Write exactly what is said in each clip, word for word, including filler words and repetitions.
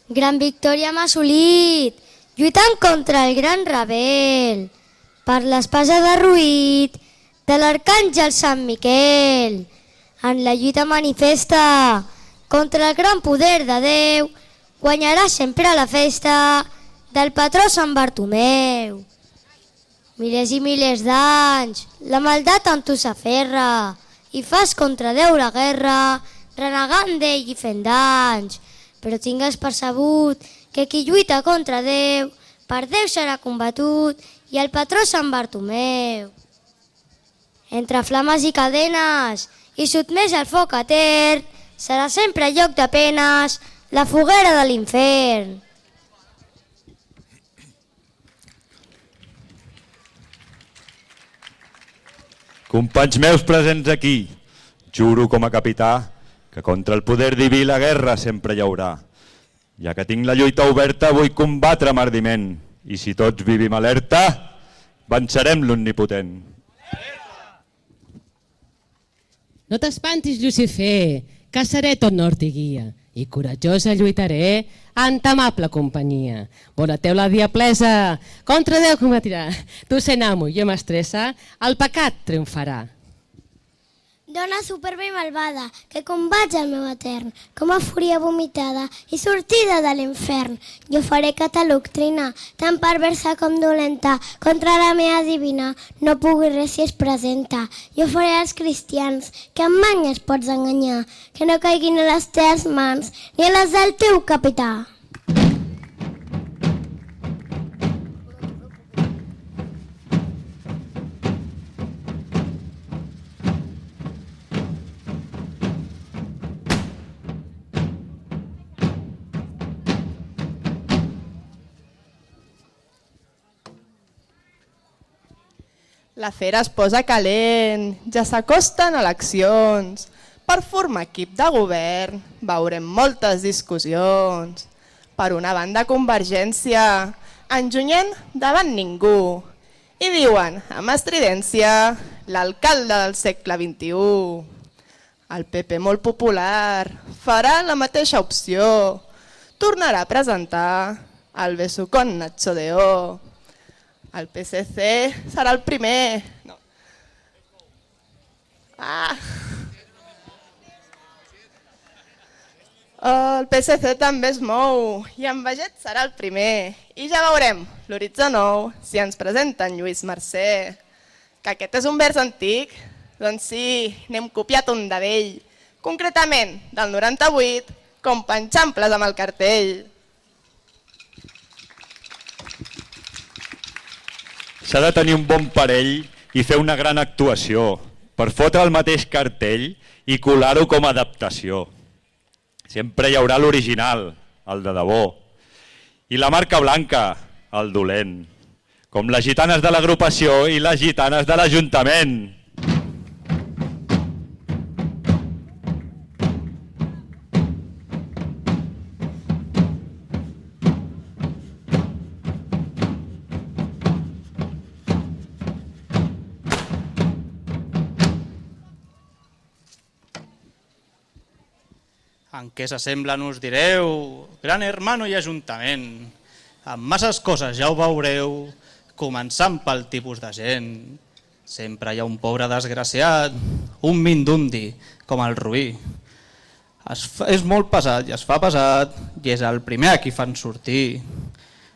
Gran victòria hem assolit, lluitant contra el gran rebel, per l'espasa de Ruït, de l'arcàngel Sant Miquel. En la lluita manifesta contra el gran poder de Déu, guanyarà sempre la festa del patró Sant Bartomeu. Milers i milers d'anys, la maldat amb tu s'aferra i fas contra Déu la guerra, renegant d'ell i fent danys. Però tingues percebut que qui lluita contra Déu, per Déu serà combatut i el patró Sant Bartomeu. Entre flames i cadenes i sotmès al foc etern, serà sempre lloc de penes la foguera de l'infern. Companys meus presents aquí, juro com a capità que contra el poder diví la guerra sempre hi haurà. Ja que tinc la lluita oberta vull combatre amb ardiment i si tots vivim alerta, vencerem l'omnipotent. No t'espantis, Lucifer, que seré tot nord i guia i coratjosa lluitaré en ta amable companyia. Bona teu la diablesa, contra Déu combatirà. Tu sent amo i jo m'estressa, el pecat triomfarà. Dona superba i malvada, que combats el meu etern, com a fúria vomitada i sortida de l'infern. Jo faré que ta doctrina, tan perversa com dolenta, contra la meva divina, no pugui res si es presenta. Jo faré als cristians, que amb manyes pots enganyar, que no caiguin a les teves mans, ni a les del teu capità. La fera es posa calent, ja s'acosten eleccions. Per formar equip de govern veurem moltes discussions. Per una banda Convergència, enjunyent davant ningú. I diuen, amb estridència, l'alcalde del segle vint-i-u. El P P molt popular farà la mateixa opció. Tornarà a presentar el besucón Nacho de O. El P S C serà el primer. No. Ah. El P S C també es mou i en Baget serà el primer. I ja veurem l'horitzó nou si ens presenten Lluís Mercè. Que aquest és un vers antic? Doncs sí, n'hem copiat un de vell. Concretament, del noranta-vuit, com penxamples amb el cartell. S'ha de tenir un bon parell i fer una gran actuació per fotre el mateix cartell i colar-ho com a adaptació. Sempre hi haurà l'original, el de debò, i la marca blanca, el dolent, com les gitanes de l'agrupació i les gitanes de l'Ajuntament. En què s'assemblen us direu, gran hermano i ajuntament. Amb masses coses ja ho veureu, començant pel tipus de gent. Sempre hi ha un pobre desgraciat, un mindundi, com el Rubí. Es fa, és molt pesat i es fa pesat i és el primer a qui fan sortir.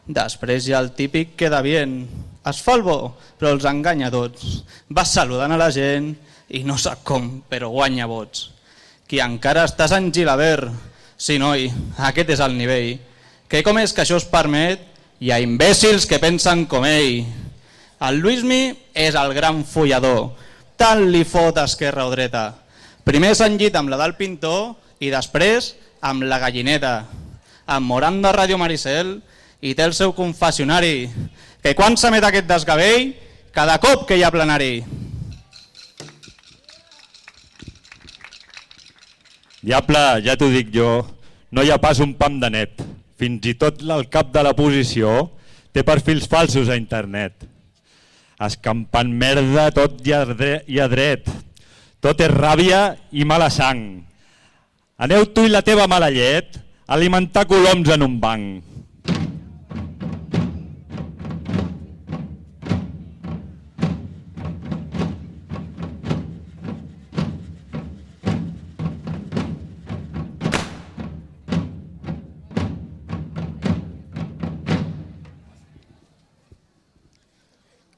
Després hi ha el típic queda bien, es fa el bo però els enganya tots. Va saludant a la gent i no sap com, però guanya vots. Qui encara estàs en Gilabert, sí noi, aquest és el nivell. Que com és que això es permet? Hi ha imbècils que pensen com ell. El Luismi és el gran follador, tant li fot esquerra o dreta. Primer s'enllit amb la del pintor i després amb la gallineta. Amb Moranda Ràdio Maricel i té el seu confessionari, que quan s'emet aquest desgavell, cada cop que hi ha plenari. Diable, ja t'ho dic jo, no hi ha pas un pam de net. Fins i tot el cap de la posició té perfils falsos a internet. Escampant merda tot i a dret. Tot és ràbia i mala sang. Aneu tu i la teva mala llet alimentar coloms en un banc.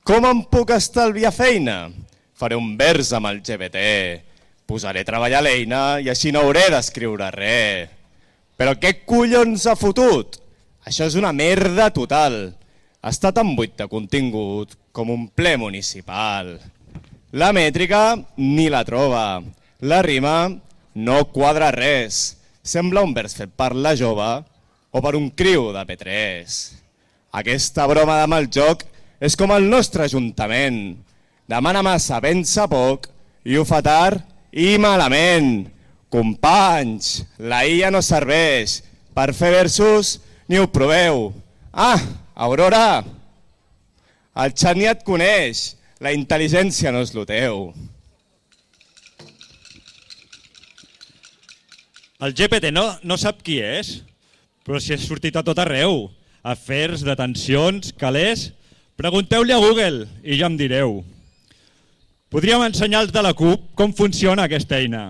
Com em puc estalviar feina? Faré un vers amb el G P T. Posaré a treballar l'eina i així no hauré d'escriure res. Però què collons ha fotut? Això és una merda total. Està tan buit de contingut com un ple municipal. La mètrica ni la troba. La rima no quadra res. Sembla un vers fet per la jove o per un criu de P tres. Aquesta broma de mal joc és com el nostre ajuntament. Demana massa, pensa poc i ho fa tard i malament. Companys, la I A no serveix per fer versos ni ho proveu. Ah, Aurora, el xat ni et coneix, la intel·ligència no és lo teu. El G P T no, no sap qui és, però si ha sortit a tot arreu. Afers, detencions, calés... Pregunteu-li a Google i ja em direu. Podríem ensenyar als de la CUP com funciona aquesta eina.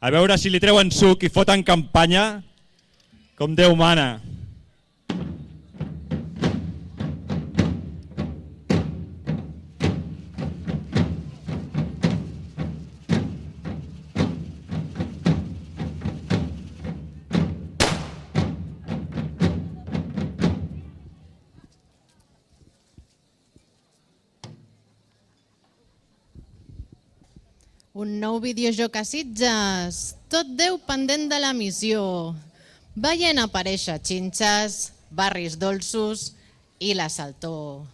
A veure si li treuen suc i foten campanya com Déu mana. Un nou videojoc a Sitges, tot Déu pendent de la missió. Veient aparèixer xinxes, barris dolços i la saltó.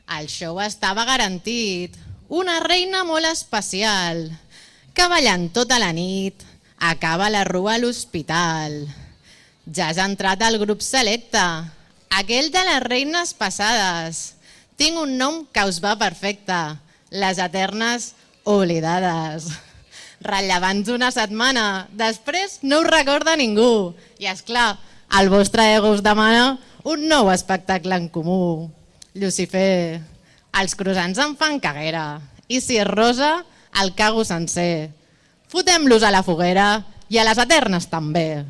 El show estava garantit, una reina molt especial, que ballant tota la nit acaba la rua a l'hospital. Ja has entrat al grup selecte, aquell de les reines passades. Tinc un nom que us va perfecte, les eternes oblidades. Rellevants una setmana, després no us recorda ningú. I és clar, el vostre ego us demana un nou espectacle en comú. Lucifer, els croissants em fan caguera. I si és rosa, el cago sencer. Fotem-los a la foguera i a les eternes també.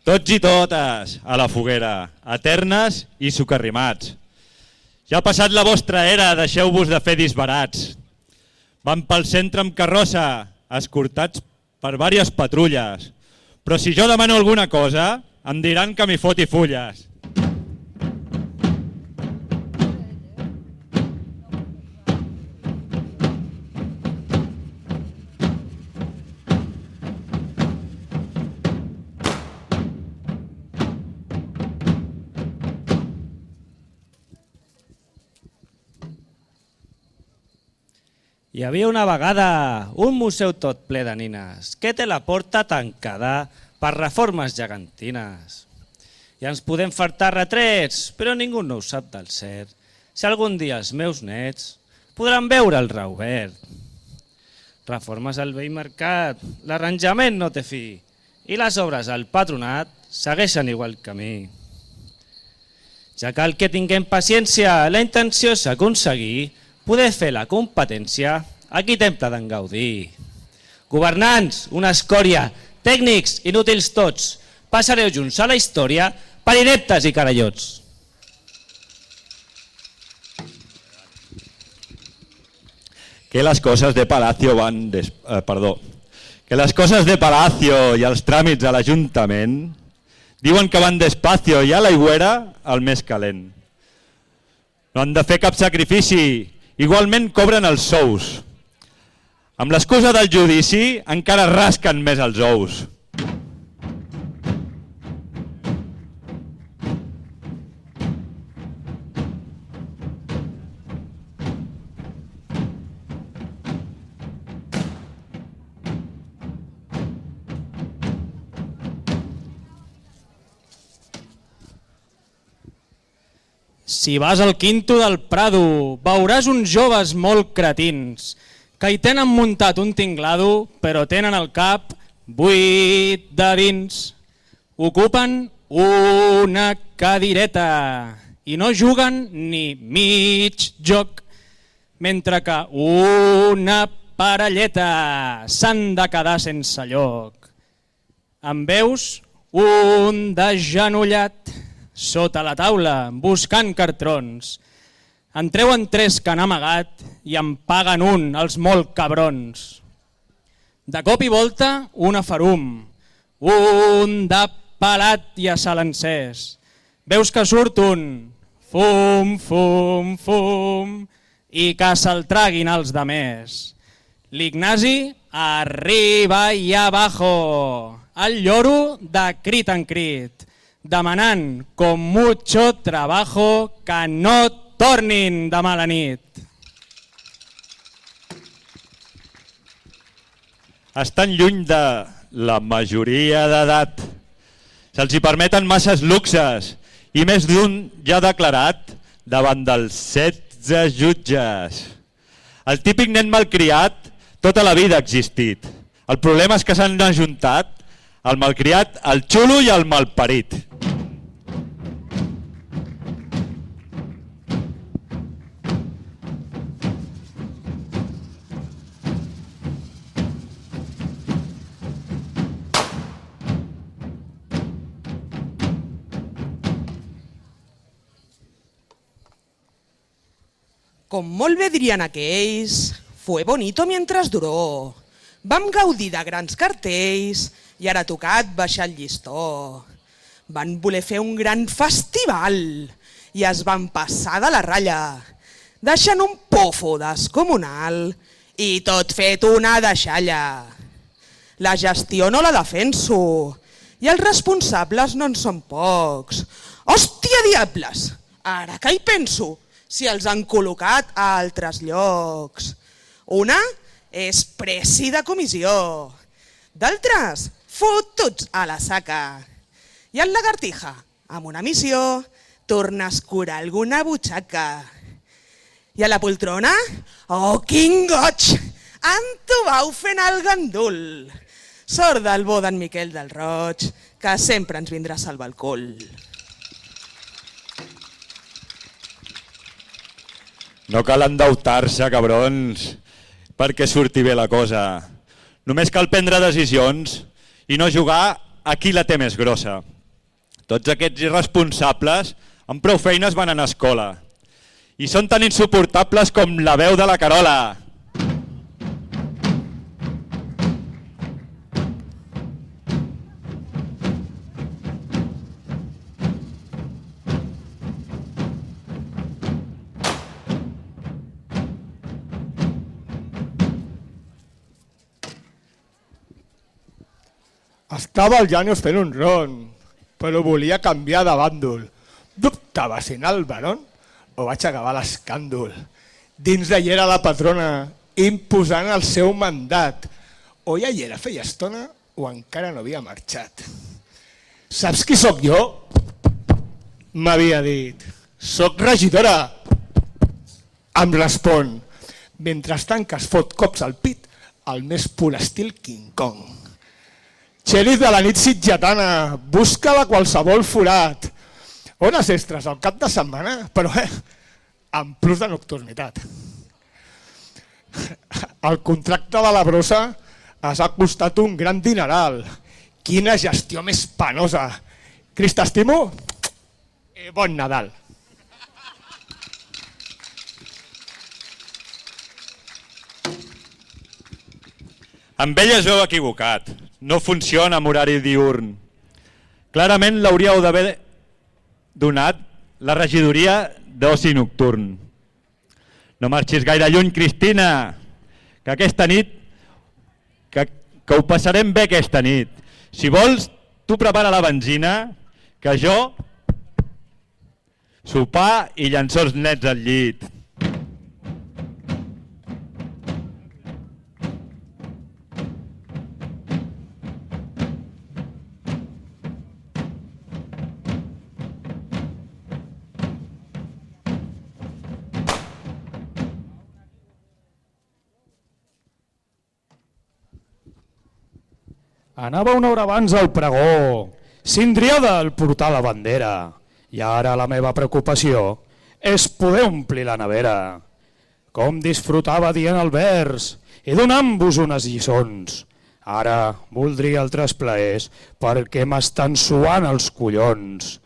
Tots i totes a la foguera, eternes i socarrimats. Ja ha passat la vostra era, deixeu-vos de fer disbarats. Van pel centre amb carrossa, escortats per diverses patrulles. Però si jo demano alguna cosa, em diran que m'hi foti fulles. Hi havia una vegada un museu tot ple de nines que té la porta tancada per reformes gegantines. I ens podem fartar retrets, però ningú no ho sap del cert. Si algun dia els meus nets podran veure el reobert. Reformes al vell mercat, l'arranjament no té fi i les obres al patronat segueixen igual camí. Ja cal que tinguem paciència, la intenció és aconseguir poder fer la competència a qui tempta d'en gaudir. Governants, una escòria, tècnics, inútils tots, passareu junts a la història per ineptes i carallots. Que las cosas de Palacio van... Des... Eh, perdó. Que las cosas de Palacio i els tràmits a l'Ajuntament diuen que van despacio i a l'aigüera el més calent. No han de fer cap sacrifici. Igualment cobren els sous. Amb l'excusa del judici encara rasquen més els ous. Si vas al quinto del Prado, veuràs uns joves molt cretins que hi tenen muntat un tinglado, però tenen el cap buit de dins. Ocupen una cadireta i no juguen ni mig joc, mentre que una parelleta s'han de quedar sense lloc. Em veus un degenollat sota la taula buscant cartrons. En treuen tres que han amagat i em paguen un, els molt cabrons. De cop i volta, una farum, un de pelat i a sal encès. Veus que surt un fum, fum, fum i que se'l traguin els demés. L'Ignasi arriba i abajo, el lloro de crit en crit, demanant con mucho trabajo que no tornin demà a la nit. Estan lluny de la majoria d'edat. Se'ls hi permeten masses luxes i més d'un ja ha declarat davant dels setze jutges. El típic nen malcriat tota la vida ha existit. El problema és que s'han ajuntat el malcriat, el xulo i el malparit. Com molt bé dirien aquells, fue bonito mientras duró. Vam gaudir de grans cartells i ara ha tocat baixar el llistó. Van voler fer un gran festival i es van passar de la ratlla, deixant un pofo descomunal i tot fet una deixalla. La gestió no la defenso i els responsables no en són pocs. Hòstia diables, ara que hi penso, si els han col·locat a altres llocs. Una és presi de comissió, d'altres fotuts a la saca. I el lagartija, amb una missió, torna a escurar alguna butxaca. I a la poltrona, oh, quin goig! Entubau fent el gandul. Sort del bo d'en Miquel del Roig, que sempre ens vindrà a salvar el cul. No cal endeutar-se, cabrons, perquè surti bé la cosa. Només cal prendre decisions i no jugar a qui la té més grossa. Tots aquests irresponsables amb prou feines van anar a escola i són tan insuportables com la veu de la Carola. Estava el Janius fent un ron, però volia canviar de bàndol. Dubtava si anar al Barón o vaig acabar l'escàndol. Dins d'allà era la patrona, imposant el seu mandat. O ja hi era feia estona o encara no havia marxat. Saps qui sóc jo? M'havia dit. Soc regidora. Em respon, mentrestant que es fot cops al pit, al més pur estil King Kong. Xèrif de la nit sitgetana, busca-la qualsevol forat. Hores extres al cap de setmana, però eh, amb plus de nocturnitat. El contracte de la brossa has costat un gran dineral. Quina gestió més penosa. Cris, t'estimo i bon Nadal. Amb ell es veu equivocat. No funciona amb horari diurn. Clarament l'hauríeu d'haver donat la regidoria d'oci nocturn. No marxis gaire lluny, Cristina, que aquesta nit, que, que ho passarem bé aquesta nit. Si vols, tu prepara la benzina, que jo sopar i llançar els nets al llit. Anava una hora abans al pregó, cindriada al portar la bandera, i ara la meva preocupació és poder omplir la nevera. Com disfrutava dient el vers i donant-vos unes lliçons. Ara voldria altres plaers perquè m'estan suant els collons.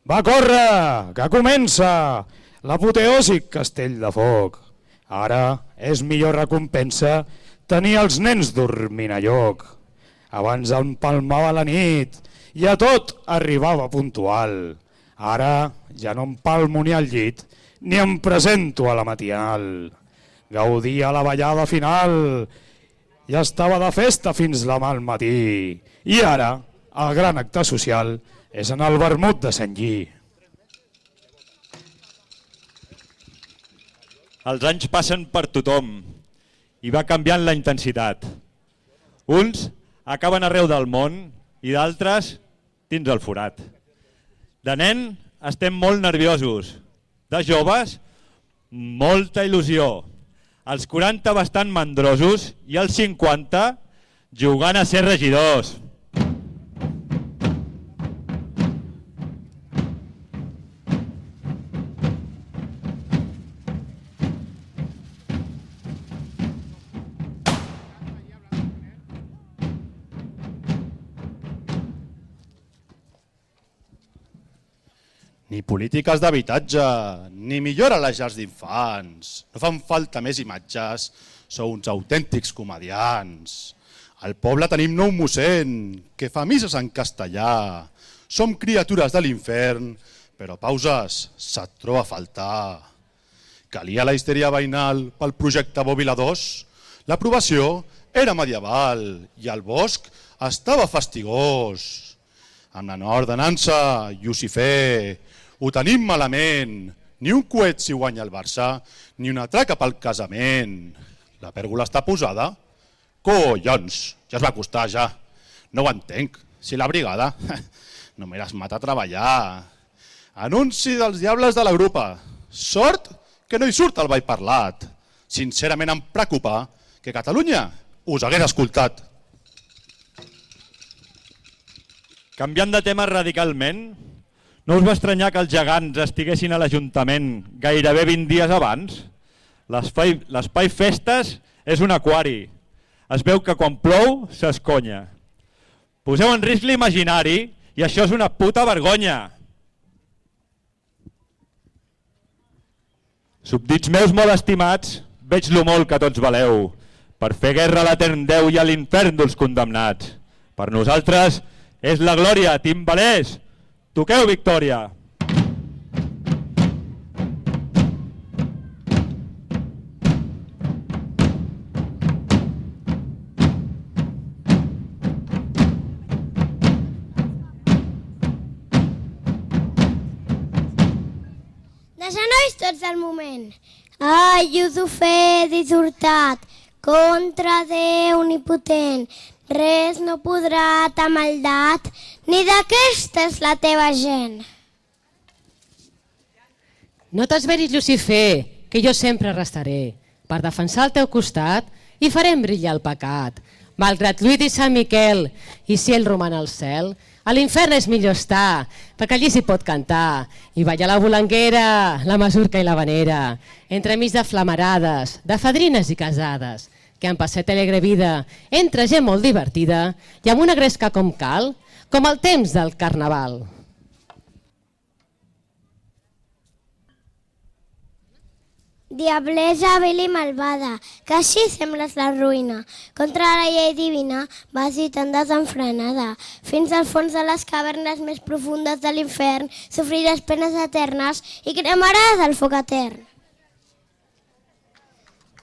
Va, corre, que comença l'apoteòsic castell de foc. Ara és millor recompensa tenir els nens dormint a lloc. Abans empalmava la nit i a tot arribava puntual. Ara ja no empalmo ni al llit ni em presento a la matinal. Gaudia la ballada final i estava de festa fins demà al matí. I ara el gran acte social és en el vermut de Sant Lli. Els anys passen per tothom i va canviant la intensitat. Uns acaben arreu del món i d'altres dins el forat. De nen estem molt nerviosos, de joves molta il·lusió, als quaranta bastant mandrosos i als cinquanta jugant a ser regidors. Ni polítiques d'habitatge, ni millora les llars d'infants. No fan falta més imatges, sou uns autèntics comedians. Al poble tenim nou mossèn, que fa misses en castellà. Som criatures de l'infern, però pauses se't troba a faltar. Calia la histèria veïnal pel projecte Bòbila dos. L'aprovació era medieval i el bosc estava fastigós. Amb la nova ordenança, Llucifer, ho tenim malament. Ni un coet si guanya el Barça, ni una traca pel casament. La pèrgola està posada? Collons, ja es va costar ja. No ho entenc, si la brigada no me les mata a treballar. Anunci dels diables de la grupa. Sort que no hi surt el ball parlat. Sincerament em preocupa que Catalunya us hagués escoltat. Canviant de tema radicalment, no us va estranyar que els gegants estiguessin a l'Ajuntament gairebé vint dies abans? L'espai festes és un aquari. Es veu que quan plou s'esconya. Poseu en risc l'imaginari i això és una puta vergonya. Subdits meus molt estimats, veig lo molt que tots valeu. Per fer guerra a l'etern Déu i a l'infern dels condemnats. Per nosaltres és la glòria, timbalers. Toqueu victòria. De genolls tots al moment. Ai, Llucifer dissortat, contra Déu omnipotent, res no podrà ta maldat, ni d'aquesta és la teva gent. No t'esveris, Llucifer, que jo sempre restaré per defensar el teu costat i farem brillar el pecat. Malgrat Lluís i Sant Miquel, i si ell roman al cel, a l'infern és millor estar, perquè allí s'hi pot cantar i ballar la volanguera, la masurca i la vanera, entremig de flamarades, de fadrines i casades, que han passat alegre vida entre gent molt divertida i amb una gresca com cal, com el temps del carnaval. Diablesa vil i malvada, que així sembles la ruïna. Contra la llei divina vas lluitant desenfrenada. Fins al fons de les cavernes més profundes de l'infern sofriràs penes eternes i cremaràs el foc etern.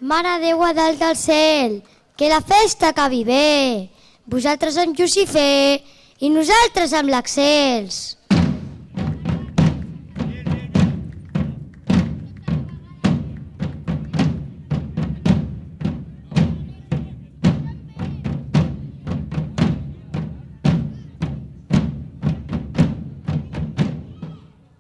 Mare Déu a dalt del cel, que la festa acabi bé. Vosaltres amb Llucifer i nosaltres amb l'Axels.